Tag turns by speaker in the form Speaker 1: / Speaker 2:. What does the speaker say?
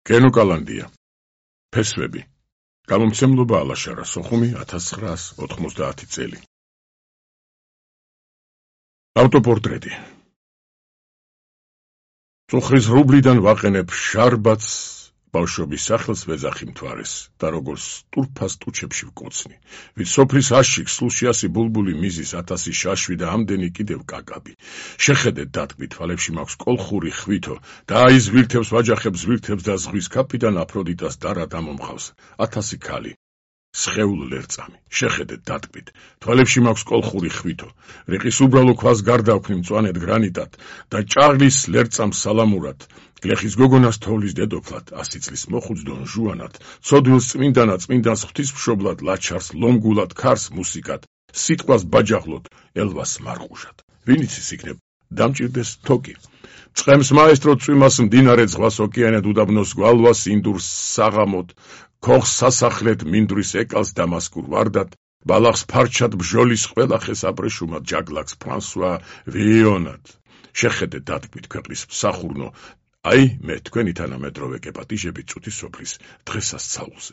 Speaker 1: კენოკალანდია. ფესვები. გამომცემლობა ალაშარა სოხუმი 1990 წელი. ავტოპორტრეტი. წუხრის რუბლიდან ვაყენებ შარბაც, ბავშვობის სახელს ვეძახი მთვარეს და როგორც ტურფას ტუჩებში ვკოცნი. ვით სოფლის აშიქს სულში 100 ბულბული მიზის 1000 შაშვი და ამდენი კიდევ კაკაბი. შეხედეთ დატკბი თვალებში მაქვს კოლხური ხვითო და აი ზვირთებს ვაჯახებს ზვირთებს და ზღვის ქაფიდან აფროდიტას დარა დამომხავს 1000 ქალი. სხეულ ლერწამი. შეხედეთ დატკბით თვალებში მაქვს კოლხური ხვითო. რიყის უბრალო ქვას გარდაქვნი მწვანედ გრანიტად და ჭაღლის ლერწამს სალამურად. გლეხის გოგონას თოვლის დედოფლად, 100 წლის მოხუცდონ ჟუანად, ცოდვილს წმინდანად, წმინდანს ღვთისმშობლად, ლაჩარს ლომგულად, ქარს მუსიკად, სიტყვას ბაჯაღლოდ, ელვას მარყუშად. ვინ იცის იქნებ დამჭირდეს თოკი. წყემს მაესტრო წვიმას მდინარე ზღვას ოკეანედ უდაბნოს გვალვას ინდურს საღამოდ, ქოხს სასახლედ მინდვრის ეკალს დამასკურ ვარდად, ბალახს ფარჩად ბჟოლის ყველა ხეს აბრეშუმად ჯაგლაკს ფრანსუა ვიონად. შეხედეთ დატკბით ქვეყნის მსახურნო. აი მე თქვენი თანამედროვე კეპატიჟებით წუთის სოფლის დღესასწაულზე.